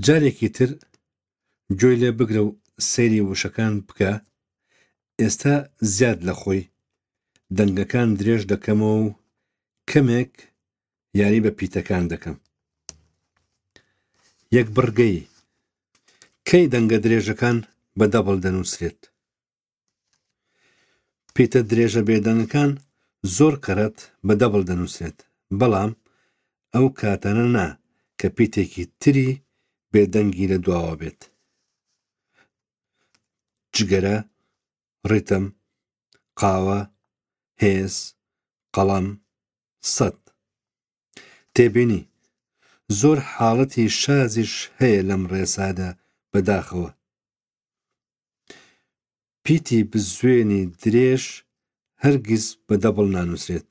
جارێکی تر گوێی لێ بگرە و سەیری وشەکان بکە، ئێستا زیاد لە خۆی دەنگەکان درێژ دەکەمەوە و کەمێک یاری بە پیتەکان دەکەم. یەک بڕگەیی. کەی دەنگە درێژەکان بە دەبڵ دەنووسرێت؟ پیتە درێژە بێدەنگەکان زۆر کەڕەت بە دەبڵ دەنووسرێت، بەڵام ئەو کاتانە نا کە پیتێکی تری بێدەنگی لە دواوە بێت. جگەرە، ڕیتم، قاوە، هێز، قەڵەم، سەت. تێبینی، زۆر حاڵەتی شازیش هەیە لەم ڕێسادا بەداخەوە. پیتی بزوێنی درێژ هەرگیز بە دەبڵ نانووسرێت.